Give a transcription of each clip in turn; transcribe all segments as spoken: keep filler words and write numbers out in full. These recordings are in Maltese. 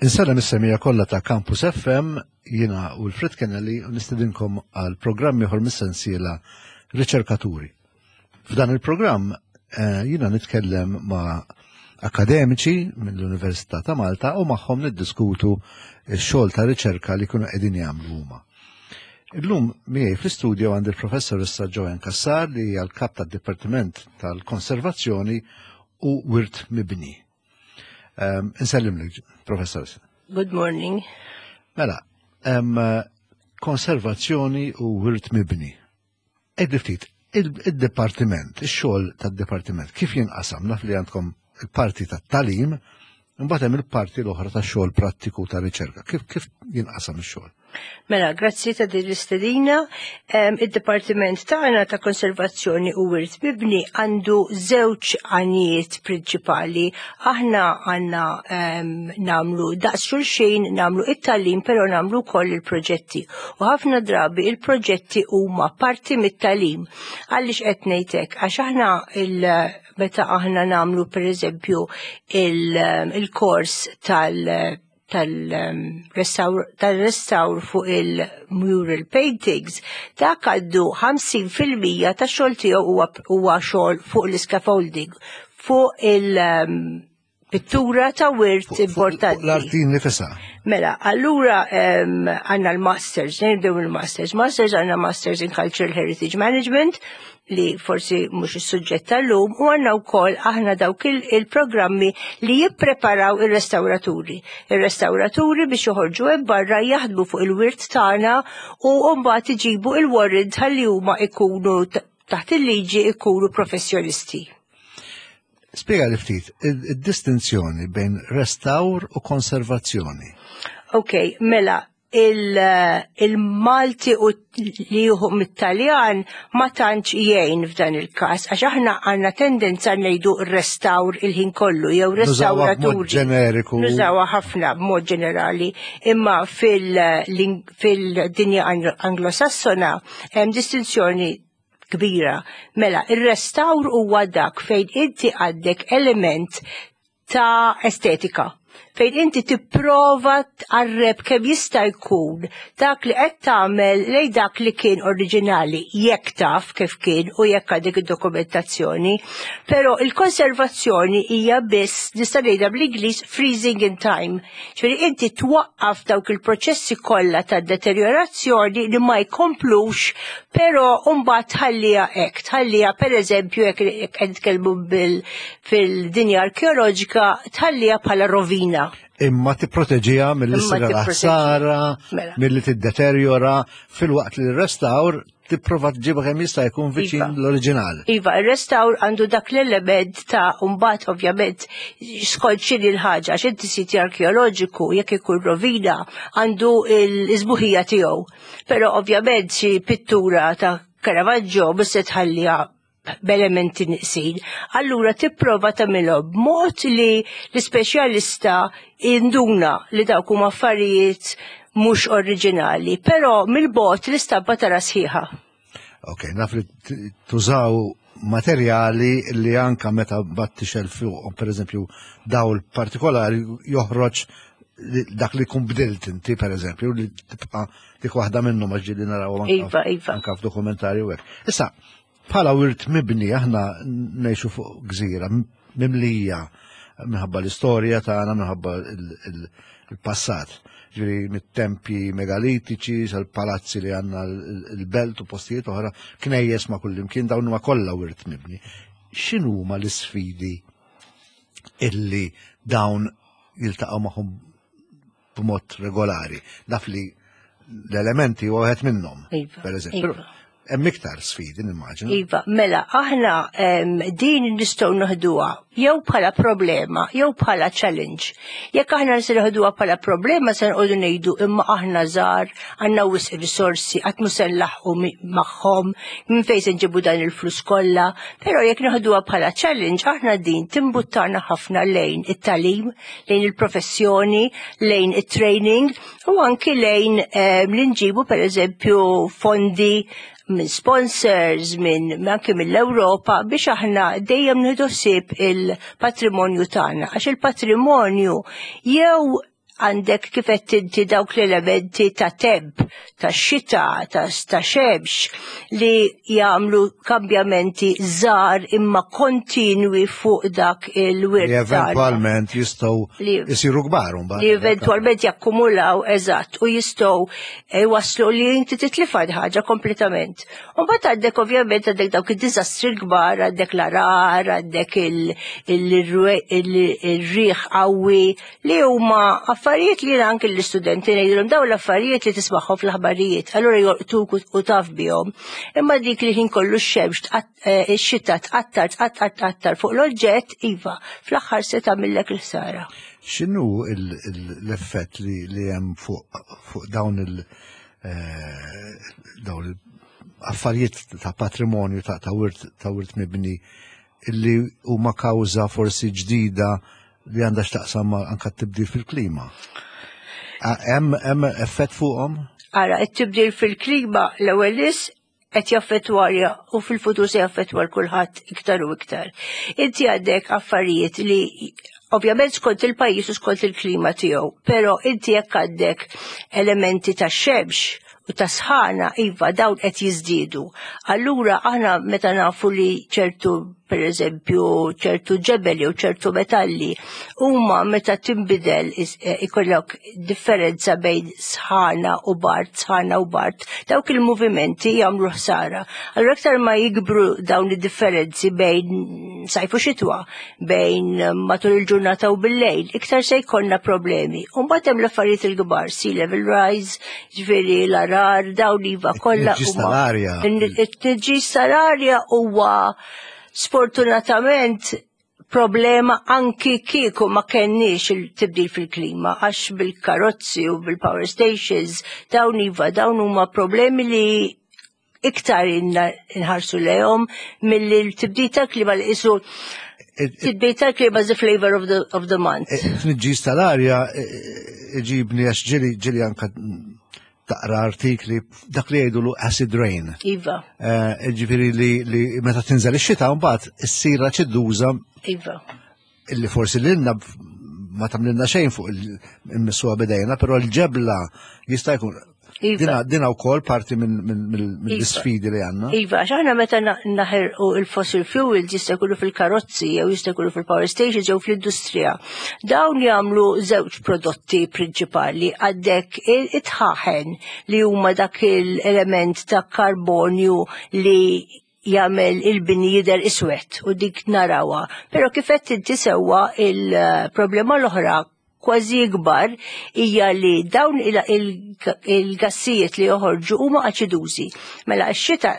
Insellem is-semmiegħa kollha ta' Campus F M, jiena Wilfred Kennelly u nistedinkom għal programm ieħor mis-sensiela Riċerkaturi. F'dan il-programm eh, jiena nitkellem ma' akademiċi mill-Università ta' Malta u magħhom niddiskutu x-xogħol ta' riċerka li kienu qegħdin jagħmlu huma. Illum miegħi fl-istudio għandi il-professoressa Joanne Cassar, li hija l-kap tad-Dipartiment tal-Konservazzjoni u Wirt Mibni. Um, Insellimlek, professor. Good morning. Mela, um, konservazzjoni u wirt mibni. Għidli ftit, il-departiment, il-xogħol tad-departiment, kif jinqasam? Naf li għandkom il-parti tat-tagħlim, imbagħad hemm il-parti l-oħra tax-xogħol prattiku ta' riċerka. Kif kif jinqasam ix-xogħol? Mela, grazzi ta' din l-istedina. Id-Dipartiment tagħna ta' Konservazzjoni u Wirt Mibni għandu żewġ għanijiet prinċipali. Aħna għandna nagħmlu daqs xulxin, nagħmlu it-tagħlim, però nagħmlu wkoll il-proġetti. U ħafna drabi il-proġetti huma parti mit-tagħlim. Għaliex qed ngħidlek? Għax aħna il meta aħna nagħmlu, per eżempju, il-kors tal- tal-restawr fuq il-mural paintings, dak għandu ħamsin fil-mija ta' xogħol tiegħu huwa xogħol fuq l-scaffolding, fuq il-pittura ta' wirt importanti. L-arti nifisha. Mela, allura għandna l-masters, nibdew il-masters. Masters, għandna Masters in Cultural Heritage Management, li forsi mhux is-suġġett tal-lum, u għandna wkoll aħna dawk il-programmi li jippreparaw ir-restawraturi. Ir-restawraturi biex joħorġu hemm barra jaħdmu fuq il-wirt tagħna u mbagħad iġibu il-warrant ħalli huma ikunu taħt il-liġi, ikunu professjonisti. Spiega li ftit id-distinzjoni bejn restawr u konservazzjoni. Ok, mela, il-Malti u li juhu mit-Taljan ma tantx jgħin f'dan il-każ, għax aħna għandna tendenza ngħidu restawr il-ħin kollu, jew Nużawha b'mod restawraturi. ġeneriku. Nużawha ħafna b'mod ġenerali, imma fil-dinja Anglosassona hemm distinzjoni kbira. Mela, il-restawr huwa dak fejn inti għandek element ta' estetika, fejn inti tipprova tqarreb kemm jista' jkun dak li qed tagħmel lej dak li kien oriġinali, jekk taf kif kien u jekk għandek id-dokumentazzjoni. Però il-konservazzjoni hija biss, nista' ngħidha bl-Ingliż, freezing in time. Ġifieri inti twaqqaf dawk il-proċessi kollha ta' deteriorazzjoni li ma jkomplux, però mbagħad tħalliha hekk, tħalliha, pereżempju, jekk qed nitkellmu fil-dinja arkeoloġika, tħalliha bħala rovina. Imma tipproteġiha milli Imma ssir tipproteġiha. ħsara, Mela. milli tiddeteriora, filwaqt li l-restawr tipprova tġibha kemm jista' jkun viċin Iva. l-oriġinal. Iva, il-restawr għandu dak l-element ta' mbagħad, ovvjament, skont x'inhi l-ħaġa, għax inti siti arkeoloġiku, jekk ikun rovina, għandu l-isbuħija tiegħu. Però ovvjament xi pittura ta' Caravaggio mhux se tħalliha b'elementi niqsin. Allura tipprova tagħmilhom b'mod li l-ispeċjalista jinduna li dawk huma affarijiet mhux oriġinali, però mill-bogħod l-istampa tara sħiħa. Ok, naf li t- tużaw materjali li anka meta battixel fuq, per eżempju, dawl partikolari, joħroġ li- dak li kun bdilt inti, per eżempju, li tibqa dik waħda minnu ma ġieli naraw anka Iva, iva. anka f'dokumentarju hekk. Issa, bħala wirt mibni, aħna ngħixu fuq gżira mimlija minħabba l-istorja tagħna, minħabba il- il- il-passat. Ġifieri mit-tempji megalitiċi sal-palazzi li għandna l-belt u postijiet oħra, knejjes ma' kullimkien, dawn huma kollha wirt mibni. X'inhuma l-isfidi illi dawn jiltaqgħu magħhom b'mod regolari? Naf li l-elementi huwa wieħed minnhom, Iva, per eżempju. iva. Hemm iktar sfidi, nimmaġina. Iva, mela, aħna em, din nistgħu noħduha jew bħala problema jew bħala challenge. Jekk aħna se noħduha bħala problema, se nqogħdu ngħidu imma aħna żgħar, għandna wisq risorsi, qatt mhu se nlaħħqu mi- magħhom, minn fejn se nġibu dan il-flus kollha. Però jekk noħduha bħala challenge, aħna din timbuttana ħafna lejn it-tagħlim, lejn il-professjoni, lejn it-training u anki lejn em, li nġibu, pereżempju, fondi minn sponsors, minn anke mill-Ewropa, biex aħna dejjem nieħdu ħsieb il-patrimonju tagħna, għax il-patrimonju jew Għandek kif qed inti dawk l-elementi ta' temp, ta' xita, ta', ta' xemx li jagħmlu kambjamenti żgħar imma kontinwi fuq dak il-wirt. Li eventwalment jistgħu jisiru kbar. Li eventwalment jakkumulaw, eżatt, u jistgħu waslu li inti titlifa ħaġa kompletament. U mbagħad għandek, ovvjament, għandek dawk id-diżastri kbar, għandek l-għargħar, għandek il-riħ qawwi, li huma affarijiet li anke l-istudenti ngħidilhom dawn l-affarijiet li tismagħhom fl-aħbarijiet, allura jolqtuk u taf bihom. Imma dik li ħin kollu x-xemx, eh, ix-xita tqattar, tqattar, tqattar fuq l-oġġett, iva, fl-aħħar se tagħmillek il-ħsara. X'inhu l-effett li hemm fuq dawn il- eh, dawn il-affarijiet ta' patrimonju ta' wirt ta' wirt mibni illi huma kawża forsi ġdida li għandha x'taqsam anka tibdil fil-klima? Hemm hemm effett fuqhom? Ara, it-tibdil fil-klima l-ewwel is qed jaffettwarja u fil-futur se jaffettwa kulħadd iktar u iktar. Inti għandek affarijiet li ovvjament skont il-pajjiż u skont il-klima tiegħu, però inti jekk għandek elementi ta' xemx u ta' sħana, iva, dawn qed jiżdiedu. Allura aħna meta nafu li ċertu, per eżempju, ċertu ġebeli u ċertu metalli huma meta tinbidel eh, ikollok differenza bejn sħana u bard, sħana u bard, dawk il-movimenti jagħmlu ħsara. Allura aktar ma jikbru dawn id-differenzi bejn sajf u xitwa, bejn matul il-ġurnata u bil-lejl, iktar se jkollna problemi. U mbagħad hemm l-affarijiet il-kbar, sea level rise, ġifieri l-għargħar, dawn iva kollha. It-tniġġis tal-arja. It-tniġġis tal-arja huwa sfortunatament problema anki kieku ma kenniex il-tibdil fil-klima, għax bil-karozzi u bil-power stations, dawn iva, dawn huma problemi li iktar inna nħarsu lejhom milli l-tibdil tal-klima li isu tibdil tal-klima is the flavor of the, of the month. Tniġġis tal-arja iġibni għax ġieli ġieli anka taqra artikli dak li jgħidu acid rain. Iva. Ġifieri li, li meta tinżel ix-xita mbagħad issir aċiduża. Iva. Illi forsi lilna ma tagħmlilna xejn fuq il-missuha b'idejna, però l-ġebla jista' jkun Iva. Dina, dina wkoll parti mill-sfidi li għandna. Iva, għax aħna meta naħirqu il-fossil fuels, jista' jkunu fil-karozzi jew jista' jkunu fil-power stations jew fl-industrija. Dawn jagħmlu żewġ prodotti prinċipali: għandek it-dħaħen li huma dak il-element ta' karbonju li jagħmel il-bini jidher iswed u dik narawha. Però kif qed inti sewwa, il-problema l-oħra kważi ikbar hija li dawn il-gassijiet li joħorġu huma aċidużi. Mela x-xita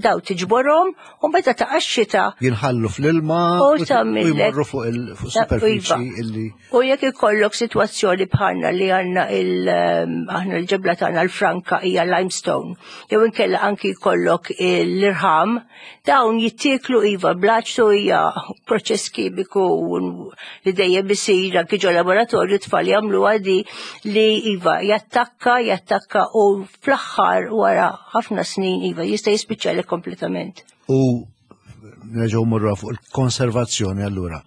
daw tiġborhom u meta taqa' x-xita jinħallu fl-ilma u u tagħmillek- jmorru fuq il-superfiċi illi U jekk ikollok sitwazzjoni bħalna li għandna il aħna l-ġebla tagħna l-franka hija limestone, jew inkella anki jkollok l-irħam, dawn jittieklu, iva, bl-aċtu, hija proċess kimiku li dejjem isir anki ġo laboratorju, tfal jagħmlu għadi li iva jattakka, jattakka u fl-aħħar wara ħafna snin iva jista' jispiċċali kompletament. U nerġgħu morru fuq il-konservazzjoni allura.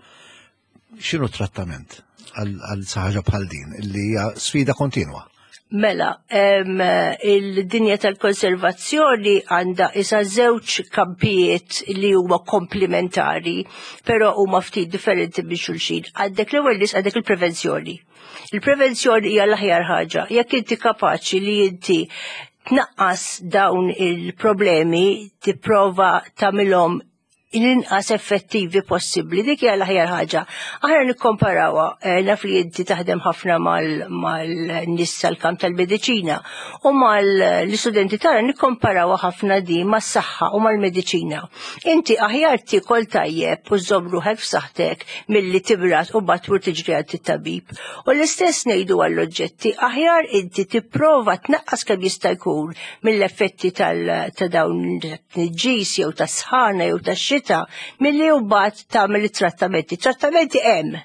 X'inhu trattament għal għal xi ħaġa bħal din illi hija sfida kontinwa? Mela, em, il-dinja tal-konservazzjoni għandha isa żewġ kampijiet li huma komplementari, però huma ftit differenti minn xulxin. Għandek l-ewwel nis għandek il-prevenzjoni. Il-prevenzjoni hija l-aħjar ħaġa. Jekk inti kapaċi li inti tnaqqas dawn il-problemi, tipprova tagħmilhom l-inqas effettivi possibbli, dik hija l-aħjar ħaġa. Aħna nikkomparawha, eh, naf li inti taħdem ħafna mal-nies tal-kamp tal-mediċina u mal-istudenti tagħna, nikkomparawha ħafna di mas-saħħa u mal-mediċina. Inti aħjar tiekol tajjeb u żomm ruħek f'saħħtek milli timrad u mbagħad tmur tiġri għand it-tabib. U l-istess ngħidu għall-oġġetti, aħjar inti tipprova tnaqqas kemm jista' jkun mill-effetti tal- ta' dawn tniġġis jew tas-sħana jew tax-xita milli mbagħad tagħmel it-trattamenti. Trattamenti hemm,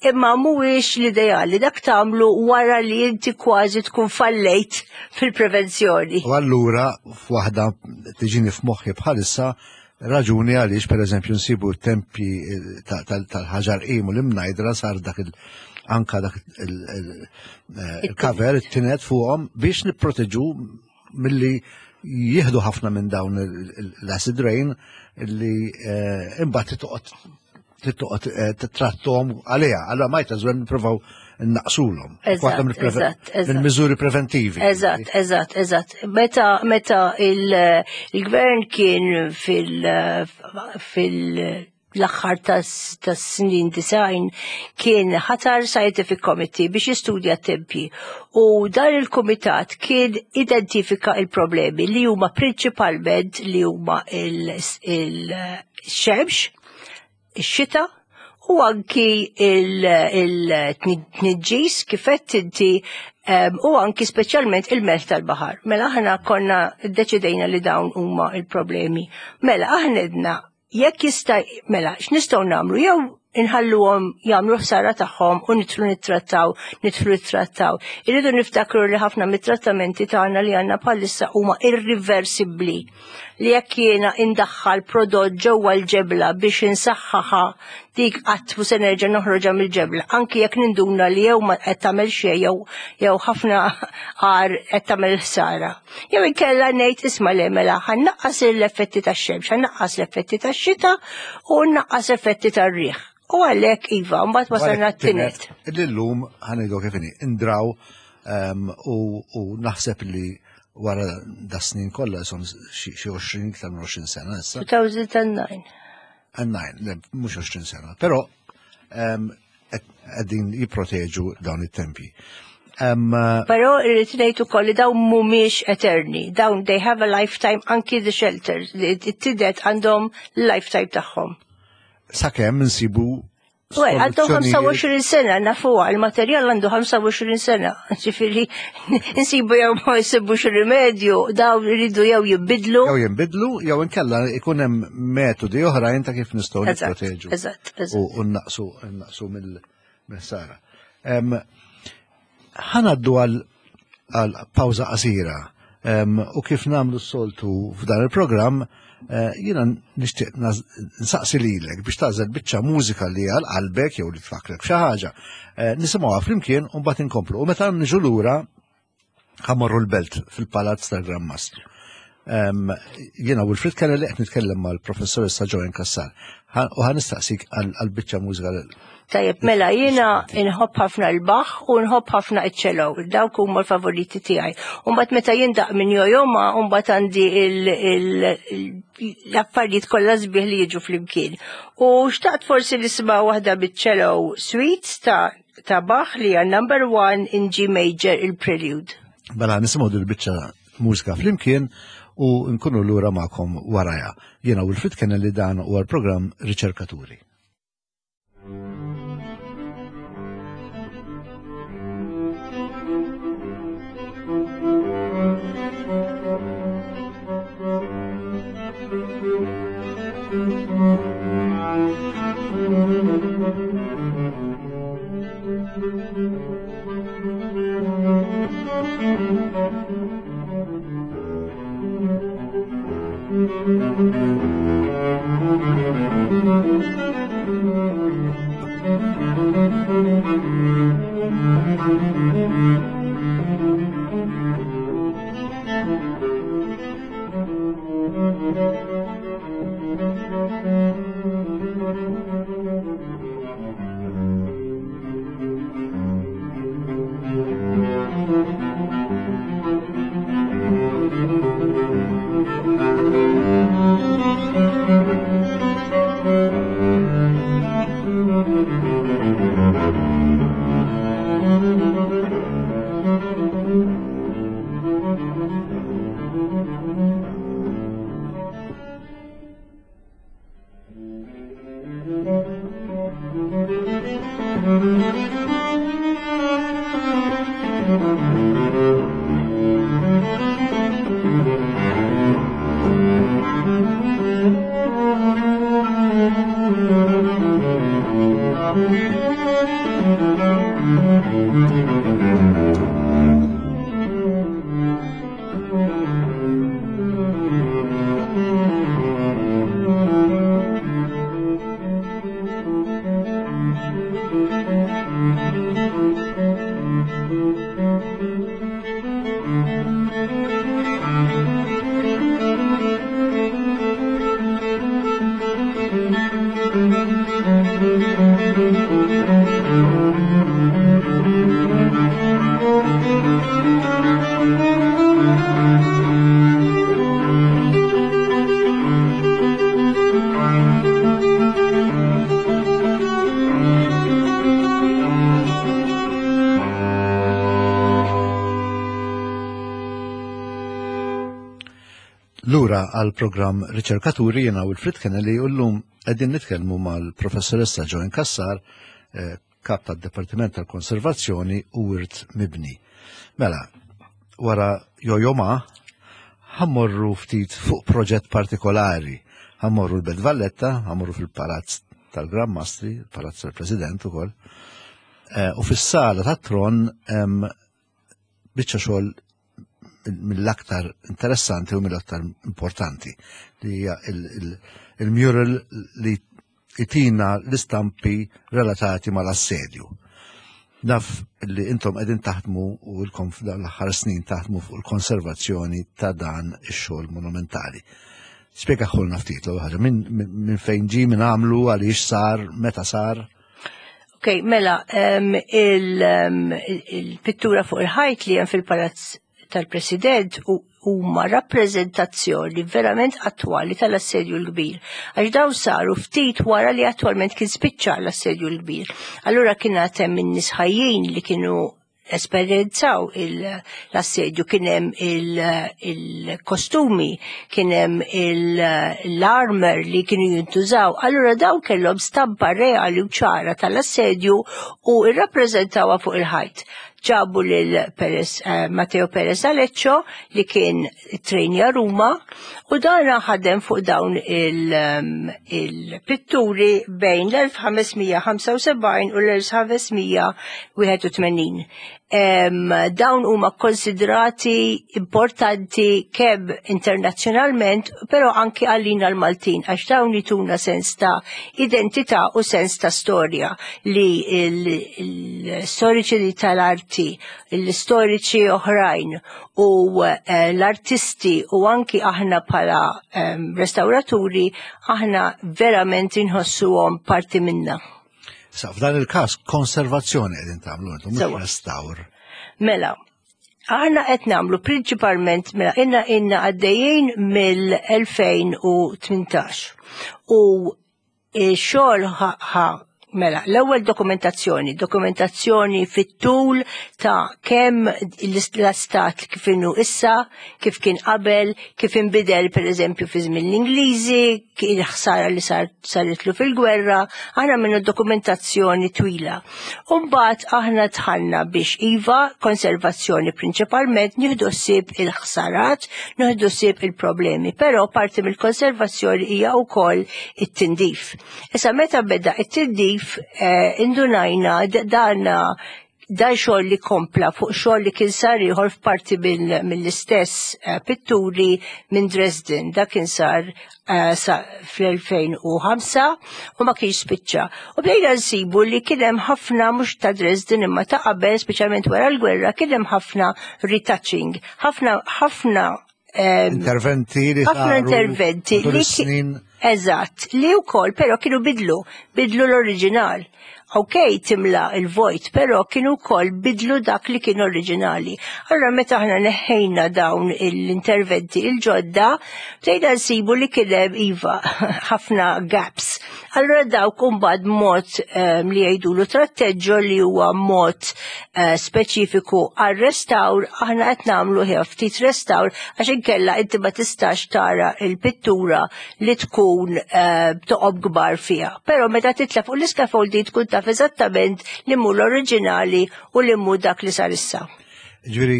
imma mhuwiex l-ideali, dak tagħmlu wara li inti kważi tkun fallejt fil-prevenzjoni. U allura f'waħda tiġini f'moħħi bħalissa raġuni għaliex, per eżempju, nsibu tempji eh, tal-ħaġar qim u l-Imnajdra sar dak il- anka dak il-cover, it-tined fuqhom biex nipproteġu milli jieħdu ħafna minn dawn l-acid rain li imbagħad toqgħod toqgħod titrattom għaliha. Allura might as well nippruvaw naqsulhom. Mill-miżuri preventivi. Eżatt, eżatt, eżatt. Meta meta il-gvern kien fil fil l-aħħar tas-snin disgħin kien ħatar Scientific Committee biex jistudja t-tempji. U dan il-kumitat kien identifika il-problemi li huma prinċipalment li huma il-xemx, ix-xita, u anki il-tniġġis kif għedt inti u anki speċjalment il-melħ tal-baħar. Mela aħna konna ddeċidejna li dawn huma il-problemi. Mela aħna għedna jekk jista' mela x'nistgħu nagħmlu jew inħalluhom jagħmlu ħsara tagħhom u nidħlu nittrattaw, nidħlu nittrattaw. Irridu niftakru li ħafna mit-trattamenti tagħna li għandna bħalissa huma irriversibbli. Li jekk jiena indaħħal prodott ġewwa l-ġebla biex insaħħaħa dik qatt mhu se nerġa' noħroġha mill-ġebla, anki jekk ninduna li jew ma qed tagħmel xejn jew jew ħafna għar qed tagħmel ħsara. Jew inkella ngħid isma' le mela ħa nnaqqas l-effetti tax-xemx, ħa nnaqqas l-effetti tax-xita u nnaqqas effetti tar-riħ. U għalhekk iva, mbagħad wasalna t-tined. Illum ħa ngħidu kif inhi, indraw u naħseb li wara da snin kollha son xi għoxrin iktar minn għoxrin sena issa. two thousand nine. nine, le, mhux għoxrin sena, però qegħdin jipproteġu dawn it-tempji. Però irrid ngħid ukoll li dawn mhumiex eterni, dawn they have a lifetime, anki the shelters, it-tined għandhom lifetime tagħhom. Sakemm nsibu Well, għandhom ħamsa u għoxrin sena, nafuha, il-materjal għandu ħamsa u għoxrin sena. Ġifieri, nsibu jew ma jsibux rimedju, dawn iridu jew jibbidlu. Jew jinbidlu, jew inkella ikun hemm metodi oħrajn ta' kif nistgħu nipproteġu. Eżatt, eżatt. U naqsu naqsu mill-ħsara. Ħa ngħaddu għal pawża qasira u kif nagħmlu s-soltu f'dan il-programm, eh, jiena nixtieq nsaqsi lilek biex tagħżel biċċa mużika li għal qalbek jew li tfakrek xi ħaġa. Eh, nisimgħuha flimkien u mbagħad inkomplu. U meta niġu lura ħa mmorru l-Belt fil-Palazz tal-Gran Mastru. Jiena Wilfred Kennelly qed nitkellem mal-professoressa Joanne Cassar u ħa nistaqsik għal biċċa mużika. Tajjeb, mela jiena nħobb ħafna l-Bach u nħobb ħafna iċ-cello, dawk huma l-favoriti tiegħi. U mbagħad meta jindaq minn Yo-Yo Ma, u mbagħad għandi l-affarijiet kollha sbieħ li jiġu flimkien. U xtaqt forsi nisma' waħda biċ-cello suite ta' ta' Bach li hija number one in G major, il-Prelude. Mela nisimgħu dil-biċċa mużika flimkien u nkunu lura magħkom warajha. Jiena Wilfred Kennelly, dan huwa l-programm Riċerkaturi. Thank you. Lura għal programm Riċerkaturi jiena Wilfred Kennelly u llum qegħdin nitkellmu mal-professoressa Joanne Cassar, eh, kap tad-Dipartiment tal-Konservazzjoni u Wirt Mibni. Mela, wara Yo-Yo Ma, ħa mmorru ftit fuq proġett partikolari. Ħa mmorru l-Belt Valletta, ħa mmorru fil-Palazz tal-Gran Mastri, il-Palazz tal-President ukoll. Eh, u fis-sala tat-tron hemm biċċa xogħol mill-aktar interessanti u mill-aktar importanti li hija il-mural li itina l-istampi relatati mal-assedju. Naf li intom qegħdin taħdmu u ilkom l-aħħar snin taħdmu fuq il-konservazzjoni ta' dan ix-xogħol monumentali. Spjegahielna ftit l ħaġa minn min fejn ġie, min għamlu, għaliex sar, meta sar. Ok, mela, il-pittura fuq il-ħajt li hemm fil-palazz tal-President huma rappreżentazzjoni verament attwali tal-assedju l-kbir. Għax daw saru ftit wara li attwalment kien spiċċa l-assedju l-kbir. Allura kien hemm in-nies ħajjin li kienu esperjenzaw l-assedju, kien hemm il-kostumi, kien hemm l-armor li kienu jintużaw. Allura daw kellhom stampa reali u ċara tal-assedju u irrappreżentawha fuq il-ħajt. Ġabu lil Perez, eh, Matteo Perez Aleccio li kien trejnja Ruma u dan ħadem fuq dawn il-pitturi bejn l-elf ħames mija ħamsa u sebgħin u l-elf ħames mija wieħed u tmenin. Dawn huma konsidrati importanti kemm internazzjonalment, però anki għalina l-Maltin, għax dawn jituna sens ta' identità u sens ta' storja li l-storiċi tal-arti, l-istoriċi oħrajn u, eh, l-artisti u anki aħna bħala, em, restauraturi, aħna verament inħossuhom parti minna. Sa, f'dan il-każ konservazzjoni qegħdin tagħmlu intom, mhux Sewa. restawr. Mela, aħna qed nagħmlu prinċipalment, mela, inna inna għaddejjin mill-elfejn u tmintax. U x-xogħol ħa, mela, l-ewwel dokumentazzjoni, dokumentazzjoni fit-tul ta' kemm l-istat kif inhu issa, kif kien qabel, kif inbidel per eżempju fi żmien l-Ingliżi, il-ħsara li sar, saritlu fil-gwerra, aħna minnu dokumentazzjoni twila. U mbagħad aħna dħalna biex iva konservazzjoni prinċipalment nieħdu ħsieb il-ħsarat, nieħdu ħsieb il-problemi, però parti mill-konservazzjoni hija wkoll it-tindif. Issa meta beda it-tindif, eh, indunajna d-, dana dan xogħol li kompla fuq xogħol li kien sar ieħor f'parti mill-, mill-istess, eh, pitturi minn Dresden. Dak kien sar, eh, sa fl-elfejn u ħamsa u ma kienx spiċċa. U bdejna nsibu li kien hemm ħafna mhux ta' Dresden imma ta' qabel, speċjalment wara l-gwerra, kien hemm ħafna retouching, ħafna, ħafna, ehm, interventi li ħafna saru interventi matul li ki- is-snin. Eżatt, li wkoll però kienu bidlu, bidlu l-oriġinal. Ok, timla il-vojt, però kienu wkoll bidlu dak li kien oriġinali. Allora meta aħna neħħejna dawn l-interventi il-ġodda, bdejna nsibu li kien hemm iva ħafna gaps. Allora dawk imbagħad mod, ehm, li jgħidulu tratteġġo li huwa mod, eh, speċifiku għal-restawr, aħna qed nagħmlu ħja ftit restawr għax inkella inti ma tistax tara il-pittura li tkun, eh, toqob kbar fiha. Però meta titla' fuq l-iskafoldi tkun taf eżattament li mhu l-oriġinali u li mhu dak li sar issa. Ġifieri,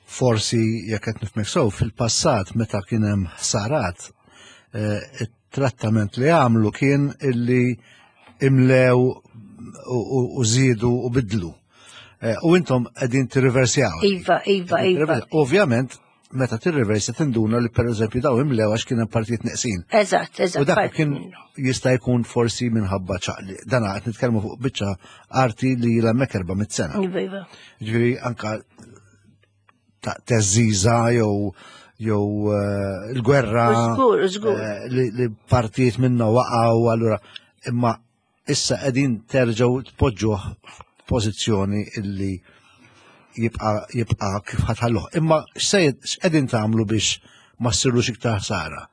forsi jekk qed nifhmek sew, fil-passat meta kien hemm ħsarat, eh, it-trattament li għamlu kien illi imlew u, u, u żiedu u bidlu. Eh, u intom qegħdin tirriversjaw. Iva, iva, Qegħdin iva. tirriversjaw. Ovvjament, meta tirriversa tinduna li per eżempju daw imlew għax kien hemm partijiet neqsin. Eżatt, eżatt, U dak parti kien minnu. jista' jkun forsi minħabba ċaqli. Dan qed nitkellmu fuq biċċa arti li ilha hemmhekk erba' mitt sena. Iva, iva. Ġifieri anka ta' teżiża jew jew eh, il-gwerra Żgur, żgur. eh, li, li partijiet minna waqgħu allura imma issa qegħdin terġgħu tpoġġuh f'pożizzjoni illi jibqa' jibqa' kif ħa tħalluh. Imma x'se x'qegħdin tagħmlu biex ma ssirlux iktar ħsara?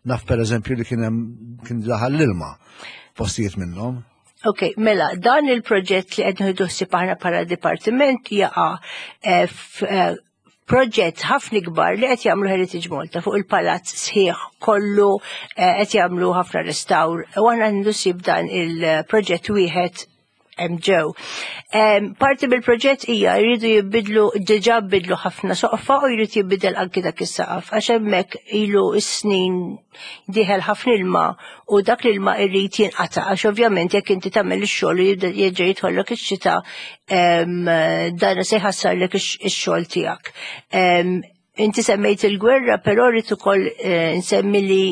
Naf per eżempju li kien hemm kien daħal l-ilma postijiet minnhom. Ok, mela, dan il-proġett li qed nieħdu ħsieb aħna bħala dipartiment jaqa' eh, f- eh, proġett ħafna kbar li qed jagħmlu Heritage Malta fuq il-palazz sħiħ kollu eh, qed jagħmlu ħafna restawr u aħna nieħdu ħsieb dan il-proġett wieħed hemm ġew. Em, Parti mill-proġett hija jridu jibbidlu, diġà bidlu ħafna soqfa u jrid jibbidel anki dak is-saqaf għax hemmhekk ilu s-snin dieħel ħafna ilma u dak l-ilma irrid jinqata' għax ovvjament jekk inti tagħmel ix-xogħol u jibda jerġa' jidħollok ix-xita em, dan se jħassarlek ix- ix-xogħol tiegħek. Em, Inti semmejt il-gwerra, però rrid ukoll eh, nsemmi li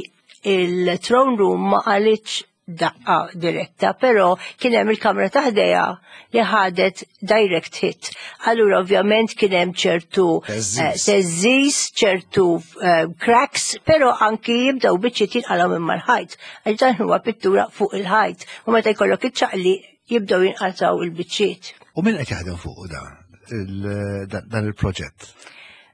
il-throne room ma qalitx daqqa diretta, però kien hemm il-kamra ta' ħdejha li ħadet direct hit. Allura ovvjament kien hemm ċertu Teżżiż. eh, teżżiż, ċertu eh, cracks, però anki jibdew biċċiet jinqalgħu minn mal-ħajt. Għax dan huwa pittura fuq il-ħajt. U meta jkollok iċ-ċaqli jibdew jinqalgħu il-biċċiet. U min qed jaħdem fuq dan il- dan il-proġett?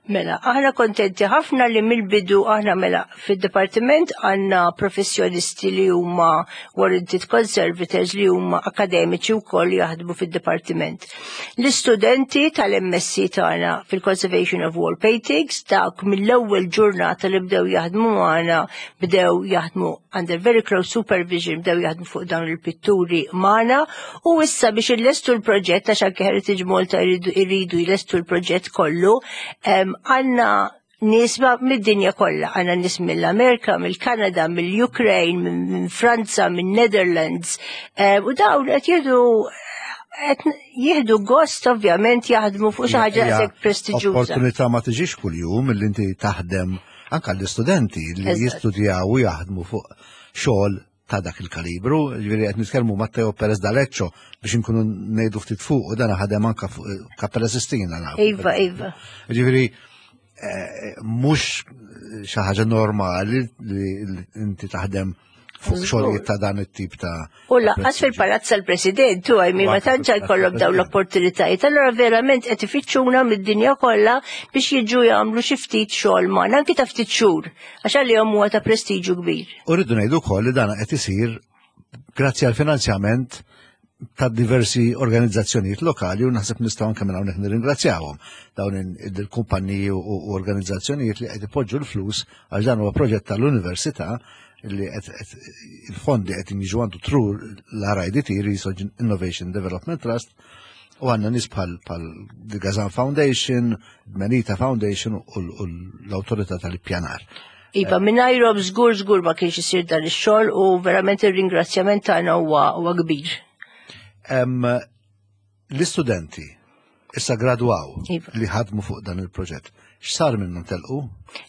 Mela, aħna kontenti ħafna li mill-bidu aħna mela fid-dipartiment għandna professjonisti li huma warranted conservators li huma akademiċi wkoll li jaħdmu fid-dipartiment. L-istudenti tal-M S C tagħna fil-Conservation of Wall Paintings, dak mill-ewwel ġurnata li bdew jaħdmu magħna, bdew jaħdmu under very close supervision, bdew jaħdmu fuq dawn il-pitturi magħna u issa biex illestu l-proġett, għax anke Heritage Malta jridu jridu jlestu l-proġett kollu, em, għandna nies mid-dinja kollha, għandna nies mill-Amerika, mill-Kanada, mill-Ukraine, minn minn Franza, minn Netherlands, em, u dawn qed jieħdu qed jieħdu gost ovvjament jaħdmu fuq xi ħaġa Hija daqshekk prestiġjuża. Opportunità ma tiġix kuljum li inti taħdem anka l-istudenti li Eżatt. jistudjaw u jaħdmu fuq xogħol ta' dak il-kalibru, ġifieri qed nitkellmu Matteo Perez D'Aleccio biex inkunu ngħidu ftit fuq u dan ħadem anka fuq Kappella Sistina nafu. Iva, iva. Ġifieri eh, mhux xi ħaġa normali li li inti taħdem fuq xogħlijiet ta' dan it-tip ta' U lanqas fil-palazz tal-President, u għajmi ma U anke tantx fil-palazz jkollhom dawn tal-President. l-opportunitajiet. Allora verament qed ifittxuna mid-dinja kollha biex jiġu jagħmlu xi ftit xogħol magħna, anki ta' ftit xhur, għax għalihom huwa ta' prestiġju kbir. U rridu ngħidu wkoll li dan qed isir grazzi għal finanzjament ta' diversi organizzazzjonijiet lokali u naħseb nistgħu anke minn hawnhekk nirringrazzjawhom dawn il-kumpanniji u u organizzazzjonijiet li qed ipoġġu l-flus, għax dan huwa proġett tal-università li qed qed- il-fondi qed jiġu għandu through l-R I D T, Research Innovation Development Trust, u għandna nies bħal bħal The Gazan Foundation, Menita Foundation u l- u l-Awtorità tal-Ippjanar. Iva, mingħajrhom żgur żgur ma kienx isir dan ix-xogħol u verament ir-ringrazzjament tagħna huwa huwa kbir. Em, L-istudenti issa gradwaw Iva. li ħadmu fuq dan il-proġett. X'sar minnhom, telqu?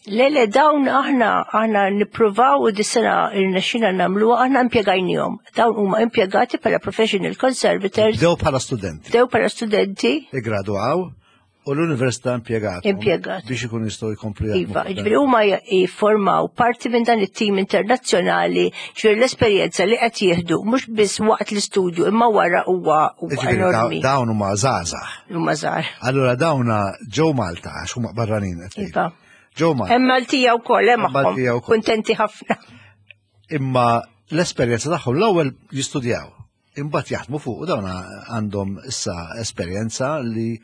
Le, le, dawn aħna aħna nippruvaw u dis-sena irnexxina nagħmluha, aħna impjegajnihom. Dawn huma impjegati bħala professional conservators. Bdew bħala studenti. Bdew bħala studenti. Igradwaw u l-università impjegat. Impjegat. Biex ikun jistgħu jkomplu jaħdmu Iva, fuq dan. ġifieri huma jiffurmaw parti minn dan it-tim internazzjonali, ġifieri l-esperjenza li qed jieħdu mhux biss waqt l-istudju imma wara huwa huwa Ġifieri daw- enormi. dawn huma żgħażagħ. Huma żgħar. Allura dawna ġew Malta għax huma barranin qed tgħid. Iva. Ġew Malta. Hemm Maltija wkoll hemm Hemm Maltija magħhom. wkoll. Kuntenti ħafna. Imma l-esperjenza tagħhom l-ewwel jistudjaw. Imbagħad jaħdmu fuq u dawn għandhom issa esperjenza li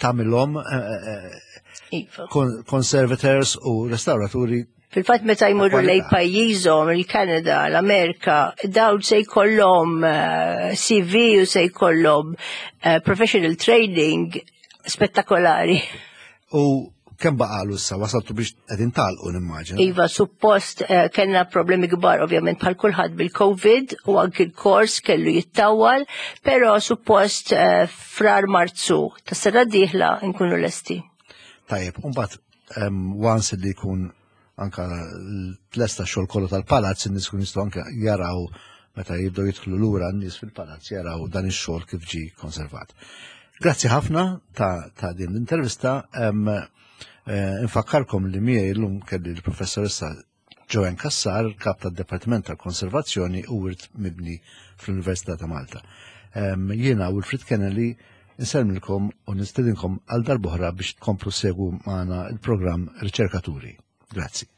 tagħmilhom eh, eh, Iva. con- conservators u restauraturi. Fil-fatt meta jmorru Kwalità. lej pajjiżhom, il-Kanada, l-Amerika, dawn se jkollhom eh, C V u se jkollhom eh, professional training spettakolari. U kemm baqalu issa, wasaltu biex qegħdin tagħlqu nimmaġina? Iva, suppost eh, kellna problemi kbar ovvjament bħal kulħadd bil-Covid u anki l-kors kellu jittawal, però suppost eh, frar Marzu ta' sena dieħla nkunu lesti. Tajjeb, u mbagħad em, once li jkun anka tlesta xogħol kollu tal-palazz, in-nies kun jistgħu anka jaraw meta jibdew jidħlu lura n-nies fil-palazz jaraw dan ix-xogħol kif ġi konservat. Grazzi ħafna ta', ta' din l-intervista. Em, Eh, infakkarkom li miegħi llum kelli l-professoressa Joanne Cassar, kap tad-Dipartiment tal-Konservazzjoni u Wirt Mibni fl-Università ta' Malta. Jiena Wilfred Kennelly insellmilkom u nistedinkom għal darb'oħra biex tkomplu ssegwu magħna il-programm Riċerkaturi. Grazzi.